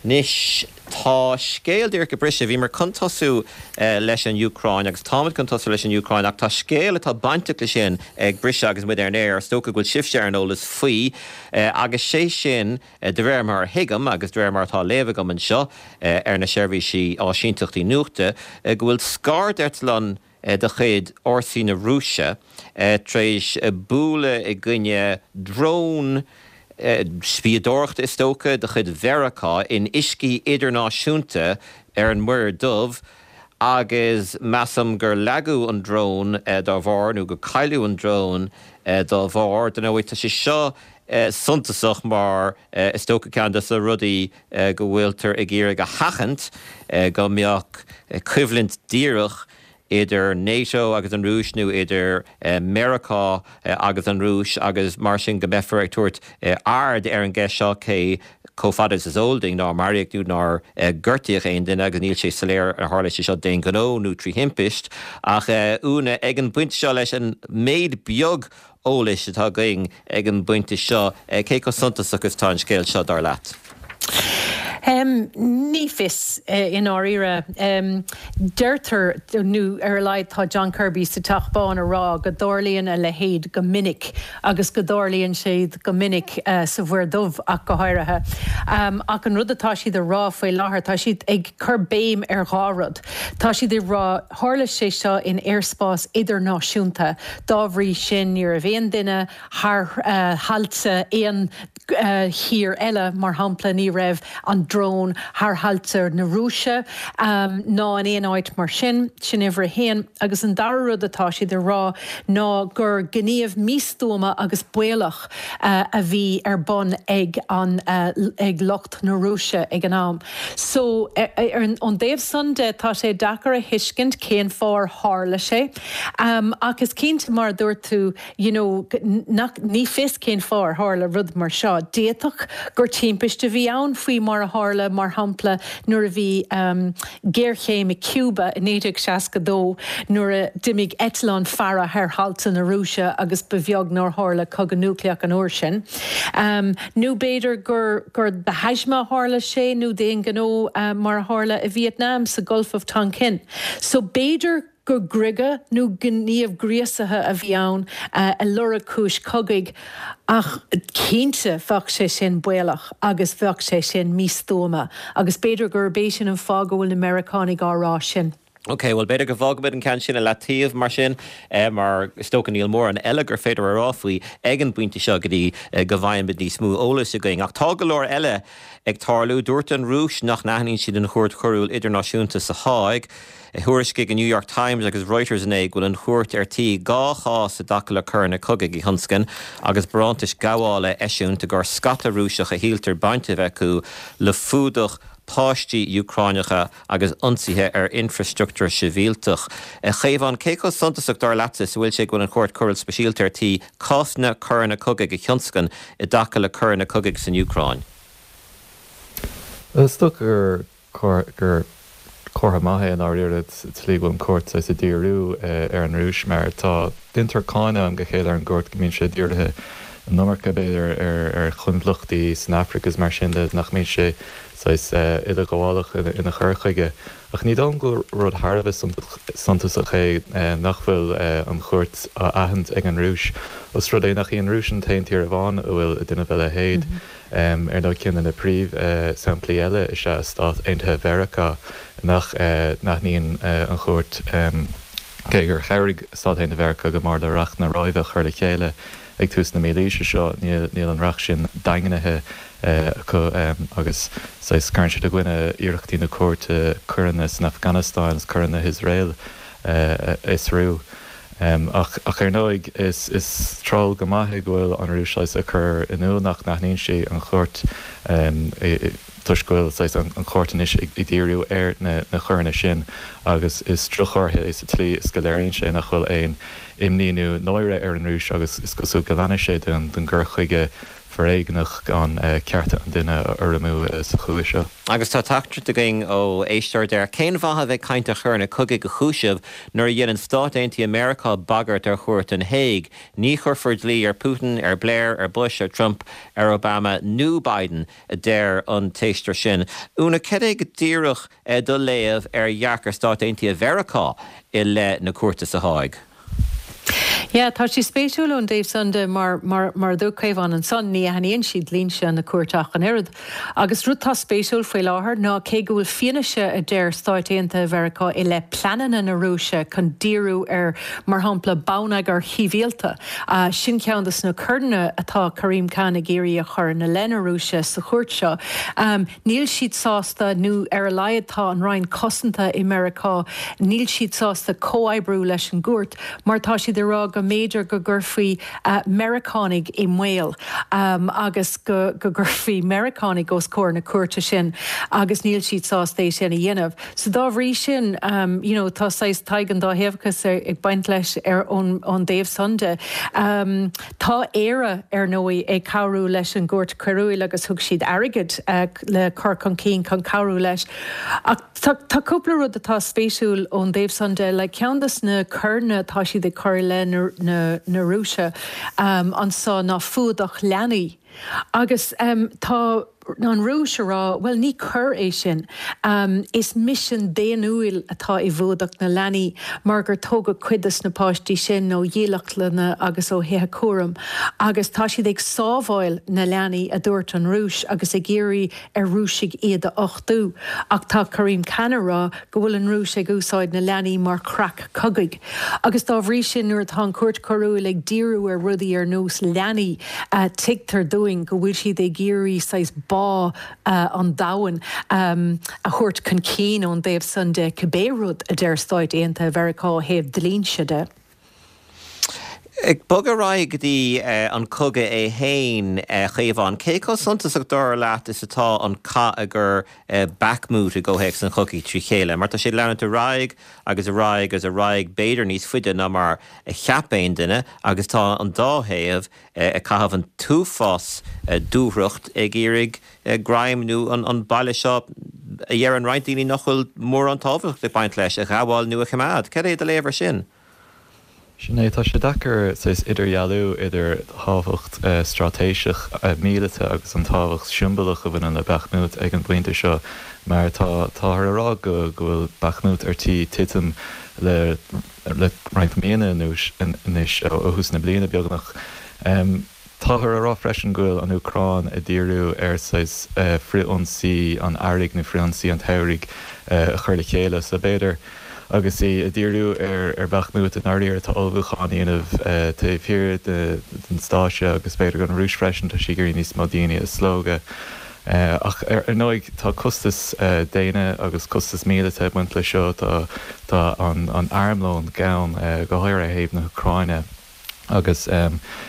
Anois, tá scéal díreach ag briseadh. Bhíomar chun tosú leis an Úcráin agus táimid chun tosú leis an Úcráin ach tá scéal atá bainteach leis sin ag briseadh agus muid ar an aer. Is dócha go bhfuil sibhse ar an eolas faoi agus sé sin, de réir mar a thuigim agus de réir mar atá á léamh agam anseo ar na seirbhísí áisínteachtaí nuachta, go bhfuil scairdeitleán de chuid fhórsaí na Rúise tar éis bualadh i gcoinne drón spiadóireachta, is dócha, de chuid Mheiriceá in uiscí idirnáisiúnta ar an Muir Dubh agus measaim gur leagadh an drón dá bharr nó gur cailleadh an drón dá bharr. Dar ndóigh, tá sé seo suntasach mar is dócha ceann de na rudaí go bhfuiltear ag iarraidh a sheachaint, go mbeadh coimhlint dhíreach idir NATO agus an Rúis nó idir Meiriceá agus an Rúis agus mar sin go mbeifear ag tabhairt aird ar an gceist seo cé chomh fada is is eol dúinn nár maraíodh nó nár gortaíodh aon duine agus níl sé soiléir ar tharla sé seo d'aon ghnó nó trí thimpist. Ach Úna, ag an bpointe seo leis an méid beag eolais atá againn ag an bpointe seo, cé chomh suntasach is atá an scéal seo dar leat? Um, ní fios uh, i ndáiríre. Um, deirtear nó ar a laghad tá John Kirby sa Teach Bán ag rá go dtarlaíonn a leithéid go minic agus go dtarlaíonn sé go minic uh, sa Mhuir Dhubh ach go háirithe. Um, ach an rud atá siad ag rá faoi láthair tá siad ag cur béim ar dhá rud. Tá siad ag rá tharla sé seo in aerspás idirnáisiúnta, dá bhrí sin ní raibh aon duine thar uh, thailte aon uh, thír eile mar shampla ní raibh an drón thar thailte na Rúise um, ná in aon áit mar sin sin uimhir a haon agus an dara rud atá siad ag rá ná gur gníomh místuama agus baolach uh, a bhí ar bun ag an uh, ag lucht na Rúise ag an am. So ar an dtaobh san de tá sé deacair a thuiscint cén fáth ar tharla sé. Um, ach is cinnte mar dúirt tú you know, nach, ní fios cén fáth ar tharla rud mar seo. D'fhéadfadh gur timpiste a bhí ann faoi mar a tharla mar shampla nuair a bhí um, géarchéim i Cuba i naoi déag seasca dó nuair a d'imigh eitleán faire thar thailte na Rúise agus ba bheag nár tharla cogadh núicléach an uair sin. Um, nó b'fhéidir gur, gur de thaisme a tharla sé nó d'aon ghnó uh, mar a tharla i Vietnam sa Gulf of Tonkin. So b'fhéidir gur griogadh nó gníomh gríosaithe a bhí ann uh, ag lorg cúis cogaidh ach cinnte bheadh sé sin baolach agus bheadh sé sin místuama agus b'fhéidir gurb é sin an fáth go bhfuil na Meiriceánaigh á rá sin. Ok, well b'fhéidir go bhfágfaimid an ceann sin i leataobh mar sin eh, mar is dócha níl mórán eile gur féidir a rá faoi ag an bpointe seo go dtí eh, go bhfaighimid níos mó eolais againn. Ach tá go leor eile ag tarlú dúirt an Rúis nach n-aithníonn siad an Chúirt Choiriúil Idirnáisiúnta sa Háig. Thuairiscigh an New York Times agus Reuters inné go bhfuil an chúirt ar tí dhá chás i dtaca le coireanna cogaidh a thionscain agus barántais gabhála a eisiúint i gcomhair scata Rúiseach a shíltear baint a bheith acu le fuadach páistí Úcránacha agus ionsaithe ar infrastruchtúr sibhialtach. A Chaomháin, cé chomh suntasach dar leatsa is a bhfuil sé go bhfuil an Chúirt Choiriúil Speisialta ar tí cásanna coireanna cogaidh a thionscain i dtaca le coireanna cogaidh san Úcráin? Is dócha gur gur comhartha maith é i ndáiríre sa tslí go bhfuil an chúirt saghas ag díriú ar an Rúis mar tá déantar cáineadh ó am go chéile ar an gcúirt go mbíonn sé dírithe an iomarca b'fhéidir ar ar choinbhleachtaí san Afraic agus mar sin de nach mbíonn sé saghas uileghabhálach ina chur chuige. Ach ní dóigh liom gur rud thar a bheith suntasach é nach bhfuil an chúirt á aithint ag an Rúis. Os rud é nach í an Rúis an t-aon tír amháin a bhfuil ag déanamh a leithéid. Ar ndóigh ceann de na príomhshamplaí eile is ea Stáit Aontaithe Mheiriceá nach n-aithníonn an chúirt cé gur chabhraigh Stáit Aontaithe Mheiriceá go mór le Reacht na Róimhe a chur le chéile ag tús na mílaoise seo, níl an reacht sin daingnithe acu agus saghas cuireann siad i gcoinne iarrachtaí na cúirte coireanna san Afganastáin agus coireanna Iosrael a fhiosrú. Ach ar ndóigh is treoir go maith é go bhfuil an Rúis saghas ag cur in iúl nach n-aithníonn sí an chúirt toisc go bhfuil saghas an chúirt anois ag díriú ar na coireanna sin agus is droch-chomhartha é sa tslí is go léiríonn sé nach bhfuil aon imní nó náire ar an Rúis agus is cosúil go leanfaidh sé den gcur chuige foréigneach gan cearta an duine a urramú sa chúis seo. Agus tá teachtaireacht againn ó éisteoir deir, Cén mhaith a bheith ag caint ar choireanna cogaidh a chúiseamh nuair a dhéanann Stáit Aontaithe Meiriceá bagairt ar chúirt an Hague? Ní chuirfear dlí ar Putin, ar Blair, ar Bush, ar Trump, ar Obama nó Biden, a deir an t-éisteoir sin. Úna, cad é go díreach do léamh ar dhearcadh Stáit Aontaithe Mheiriceá i leith na cúirte sa Háig? Yeah, tá sé spéisiúil ón dtaobh san de mar mar mar a dúirt Caomhán ansan ní aithníonn siad dlínse na cúirte ach an oiread. Agus rud tá spéisiúil faoi láthair ná cé go bhfuil fianaise a deir Stáit Aontaithe Mheiriceá i leith pleananna na Rúise chun díriú ar mar shampla bonneagar shibhialta. Uh, sin ceann de na coireanna atá Karim Khan ag iarraidh a chur ina leith na Rúise sa chúirt seo. Um, níl siad sásta nó ar a laghad tá an Roinn Cosanta i Meiriceá, níl siad sásta comhoibriú leis an gcúirt mar tá siad ag rá go mb'fhéidir go gcuirfí Meiriceánaigh i mbaol agus go gcuirfí Meiriceánaigh os comhair na cúirte sin agus níl siad sásta é sin a dhéanamh. So dá bhrí sin you know, tá saghas Tadhg an dá thaobhachas ag baint leis ar ón dtaobh san de. Tá Éire ar ndóigh ag cabhrú leis an gCúirt Choiriúil agus thug siad airgead le cur chun cinn chun cabhrú leis. Ach tá cúpla rud atá spéisiúil ón dtaobh san de, like ceann de na coireanna atá siad ag cur i leith na na na Rúise um, anso ná fuadach leanaí. Agus um, tá an Rúis a rá, bhuel ní coir é sin. Is misean daonnúil atá i bhfuadach na leanaí mar gur tógadh cuid des na páistí sin ó dhílleachtlanna agus ó thithe cúraim agus tá siad ag sábháil na leanaí, a dúirt an Rúis agus ag iarraidh ar Rúisigh iad a uchtú. Ach tá Karim Khan a rá go bhfuil an Rúis ag úsáid na leanaí mar chreach cogaidh. Agus dá bhrí sin nuair atá an Chúirt Choiriúil ag díriú ar rudaí ar nós leanaí, tuigtear dúinn go bhfuil siad ag iarraidh saghas bá an domhain a thabhairt chun cinn ón dtaobh san de, cibé rud a deir Stáit Aontaithe Mheiriceá ó thaobh dlínse de. Ag bogadh ar aghaidh go dtí an cogadh é féin, a Chaomháin, cé chomh suntasach dar leat is atá an cath i gcur Bakhmut i gcomhthéacs an chogaidh trí chéile? Mar tá sé ag leanúint ar aghaidh agus ar aghaidh agus ar aghaidh, b'fhéidir níos faide ná mar a cheap aon duine, agus tá an dá thaobh ag caitheamh an t-uafás dúthracht ag iarraidh greim nó an baile seo, a dheireann roinnt daoine nach bhfuil mórán tábhacht ag baint leis, a ghabháil nó a choimeád. Cad é do léamh ar sin? Sin é, tá sé deacair saghas idirdhealú idir tábhacht straitéiseach míleata agus an tábhacht siombalach a bhaineann le Bakhmut ag an bpointe seo mar tá táthar a rá go bhfuil Bakhmut ar tí titim le le roinnt míonna anuas anois, ó thús na bliana beagnach. Táthar a rá freisin go bhfuil an Úcráin ag díriú ar saghas frith-ionsaí an earraigh nó frith-ionsaí an tsamhraidh a chur le chéile so b'fhéidir agus í ag díriú ar Bakhmut i ndáiríre tá ullmhúchán á dhéanamh taobh thiar den stáitse agus b'fhéidir don Rúis freisin tá sí ag iarraidh níos mó daoine a slogadh. Ach ar ndóigh tá costas daonna agus costas míleata ag baint leis seo, tá an armlón gann, go háirithe ó thaobh na hÚcráine agus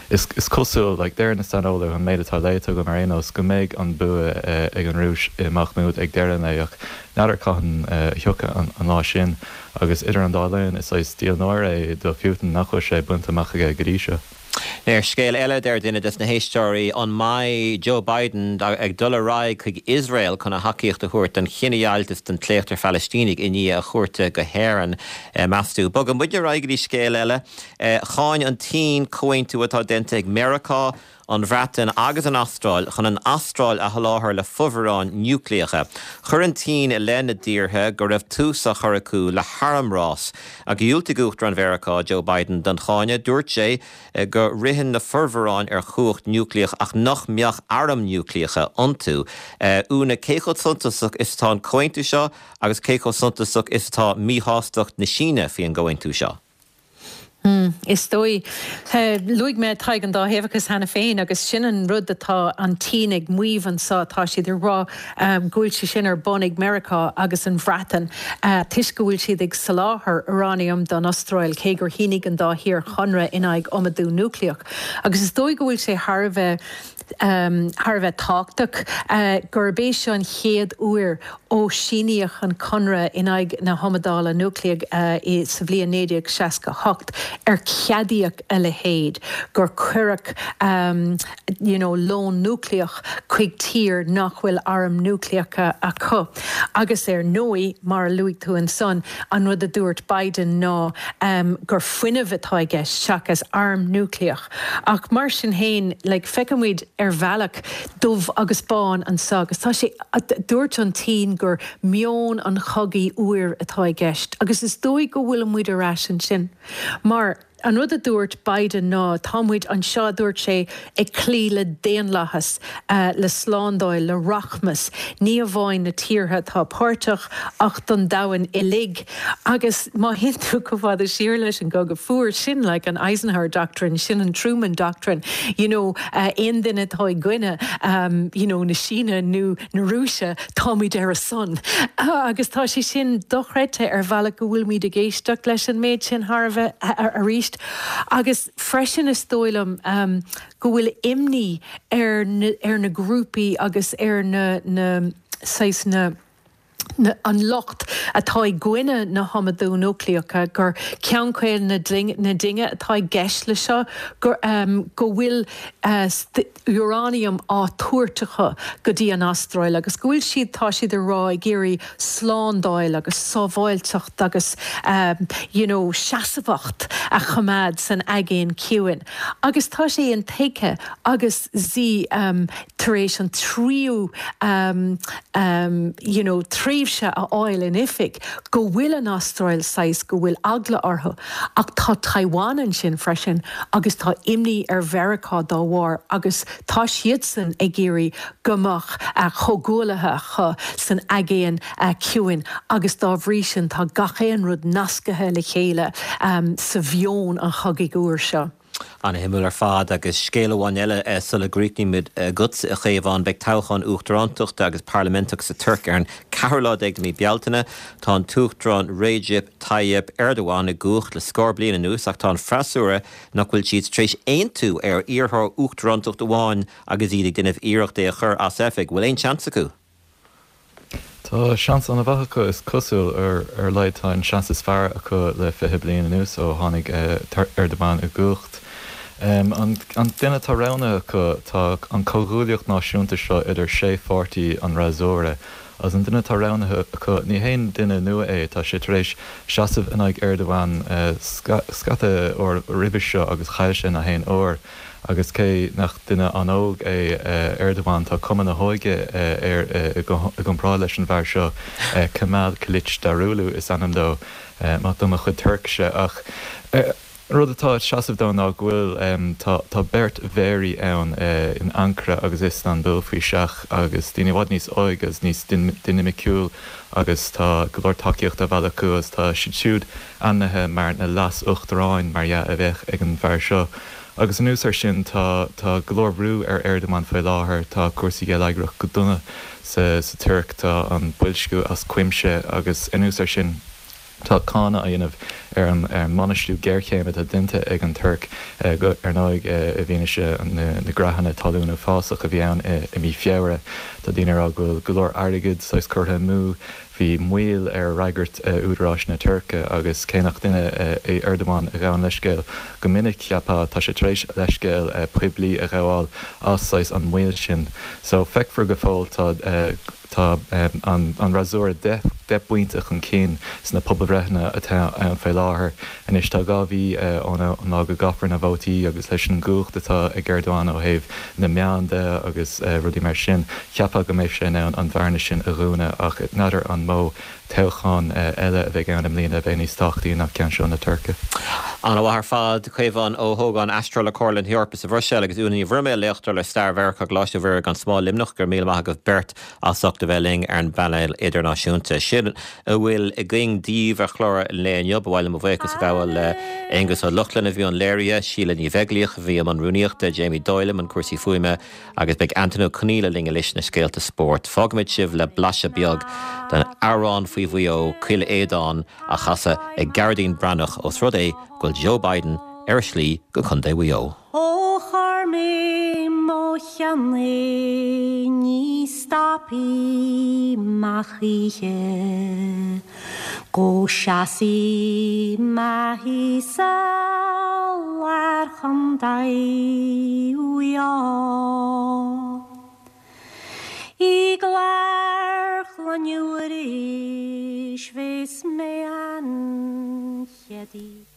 is cosúil, like, deir na saineolaithe, an méid atá léite agam ar aon nós, go mbeidh an bua ag an Rúis i mBakhmut ag deireadh an lae ach n'fheadar cathain a thiocfaidh an lá sin agus idir an dá linn is saghas díol náire é do Putin nach bhfuil sé bainte amach aige go dtí seo. Ar scéal eile, deir duine des na héisteoirí, an mbeidh Joe Biden ag dul ar aghaidh chuig Iosrael chun a thacaíocht a thabhairt don chinedheighilt is don tsléacht ar Phalaistínigh i ndiaidh a chuairte go hÉirinn, meas tú? Bogann muid ar aghaidh go dtí scéal eile. Cháin an tSín comhaontú atá déanta ag Meiriceá, an Bhreatain agus an Astráil chun an Astráil a sholáthar le fomhuireáin núicléacha. Chuir an tSín i leith na dtíortha go raibh tús á chur acu le harmrás. Ach dhiúltaigh Uachtarán Mheiriceá, Joe Biden, don cháineadh. Dúirt sé go ritheann na formhuireáin ar chumhacht núicléach ach nach mbeadh airm núicléacha iontu. Úna, cé chomh suntasach is atá an comhaontú seo agus cé chomh suntasach is atá míshástacht na Síne faoin gcomhaontú seo? Is dóigh. Luaigh mé Tadhg an dáthaobhachas cheana féin agus sin an rud atá an tSín ag maíomh anseo, tá siad ag rá go bhfuil sé sin ar bun ag Meiriceá agus an Bhreatain toisc go bhfuil siad ag soláthar úráiniam don Astráil cé gur shínigh an dá thír chonradh in aghaidh iomadú núicléach. Agus is dóigh go bhfuil sé thar a bheith thar a bheith tábhachtach gurb é seo an chéad uair ó síníodh an Conradh in aghaidh na hIomadála Núicléiche sa bhliain naoi déag seasca a hocht ar ceadaíodh a leithéid, gur cuireadh you know lón núicléach chuig tír nach bhfuil airm núicléacha acu. Agus ar ndóigh, mar a luaigh tú ansan, an rud a dúirt Biden ná gur fuinneamh atá i gceist seachas arm núicléach. Ach mar sin féin, like, feicimid ar bhealach dubh agus bán anseo agus tá sé, dúirt an tSín gur meon an chogaidh fhuair atá i gceist agus is dóigh go bhfuil muid ar ais ansin mar an rud a dúirt Biden ná tá muid anseo, a dúirt sé, ag cloí le daonlathas, le slándáil, le rachmas, ní amháin na tíortha atá páirteach ach don domhan uilig. Agus má théann tú chomh fada siar leis an gCogadh Fuar, sin like an Eisenhower Doctrine, sin an Truman Doctrine, you know, aon duine atá i gcoinne you know na Síne nó na Rúise, táimid ar a son. Agus tá sé sin dochreidte ar bhealach go bhfuilimid ag éisteacht leis an méid sin thar a bheith arís. Agus freisin is dóigh liom go bhfuil imní ar na ar na grúpaí agus ar na na saghas na An lucht atá i gcoinne na hiomadú núicléacha gur ceann caol na na dinge atá i gceist le seo gur um, go bhfuil uh, uranium á thabhairt acu go dtí an Astráil agus go bhfuil siad tá siad a rá ag iarraidh slándáil agus sábháilteacht agus um, you know, seasamhacht a choimeád san Aigéan Ciúin. Agus tá sé intuigthe agus Xi um, tar éis an tríú um, um, you know, tréimhse a fháil in oifig go bhfuil an Astráil saghas go bhfuil eagla orthu ach tá Taiwan ansin freisin agus tá imní ar Mheiriceá dá bharr agus tá siadsan ag iarraidh go mbeadh a chomhghuaillithe acu san Aigéan Ciúin agus dá bhrí sin tá gach aon rud nasctha le chéile um, sa mheon an chogaidh úr seo. An-shuimiúil ar fad agus scéal amháin eile eh, sula gcríochnaímid agatsa a Chaomháin beidh toghchán uachtarántachta agus parlaiminteach sa Tuirc ar an ceathrú lá déag de mhí Bealtaine tá an tUachtarán Recep Tayyip Erdogan i gcumhacht le scór bliain anuas ach tá an freasúra nach bhfuil siad tar éis aontú ar iarrthóir uachtarántacht amháin agus iad ag déanamh iarracht é a chur as oifig, bhfuil aon seans acu. Tá seans an-mhaith acu is cosúil ar ar a laghad tá an seans is fearr acu le fiche bliain anuas ó tháinig Erdogan i gcumhacht. Um, an, an duine atá roghnaithe acu tá an comhghuaillíocht náisiúnta seo idir sé pháirtí an fhreasúra. Agus an duine atá roghnaithe acu ní haon duine nua é tá sé tar éis seasamh in aghaidh Erdogan uh, scata uair roimhe seo agus chaill sé gach aon uair. Agus cé nach duine an-óg é Erdogan tá cuma na hóige air i gcomparáid leis an bhfear seo Kemal Kılıçdaroğlu is ainm dó maith dom mo chuid Tuircise ach rud atá ag seasamh dó ná go bhfuil tá beirt mhéaraí ann in Ankara agus Istanbul faoi seach agus daoine i bhfad níos óige agus níos dinimiciúil agus tá go leor tacaíocht á mhealladh acu agus tá siad siúd ainmnithe mar na leas-uachtaráin mar dhea a bheadh ag an bhfear seo. Agus anuas air sin tá tá go leor brú ar Erdogan faoi láthair, tá cúrsaí geilleagrach go dona sa sa Tuirc, tá an boilsciú as cuimse agus anuas air sin tá cáineadh á dhéanamh ar an ar an mbainistiú géarchéime atá déanta ag an Tuirc go ar ndóigh i bhfianaise na na gcreathanna talún uafásach a bhí ann i i mí Feabhra. Tá daoine ag rá go bhfuil go leor airgid saghas curtha amú Bhí moill ar fhreagairt údaráis na Tuirce agus cé nach duine é Erdogan a ghabhann leithscéal go minic, cheapfá, tá sé tar éis leithscéal poiblí a ghabháil as saghas an mhoill sin. So feicfear go fóill, tá tá an fhreasúra deich deich bpointe chun cinn sna pobalbhreitheanna atá ann faoi láthair. Anois tá dhá mhí ón lá go gcaithfear na vótaí agus leis an gcumhacht atá ag Erdogan ó thaobh na meán de agus rudaí mar sin, cheapfá go mbeidh sé in ann an bhearna sin a dhúnadh ach n'fheadar an mó toghchán eile a bheidh ann i mbliana a bheidh níos tábhachtaí ná ceann seo na Tuirce. An-mhaith ar fad, Caomhán Ó hÓgáin, aistritheoir le Comhairle na hEorpa sa Bhruiséil agus Úna Ní Bhroiméil, léachtóir le Stair Mheiriceá i gColáiste Mhuire gan Smál Luimneach, go raibh míle maith agaibh beirt as ucht a bheith linn ar an bpainéal idirnáisiúnta. Sin a bhfuil againn daoibh ar chlár an lae inniu. Ba mhaith liom mo bhuíochas a ghabháil le Aonghus Ó Lochlainn a bhí i mbun léirithe, Síle Ní Bheaglaoich a bhí i mbun rúnaíochta, Jamie Doyle i mbun cúrsaí fuaime agus beidh Antain Ó Conghaile linn anois na scéalta spóirt. Fágfaimid sibh le blaiseadh beag den amhrán faoi Mhaigh Eo, Cill Aodáin, á chasadh ag Gearóidín Breathnach ós rud é go bhfuil Joe Biden ar a shlí go Contae Mhaigh Eo. Ó chuir mé mo cheann é ní stopfaidh mé choíche go seasfaidh mé thíos i lár Chontae Mhaigh Eo. I gclár Chloinne Mhuiris bheas mé an chéad oíche.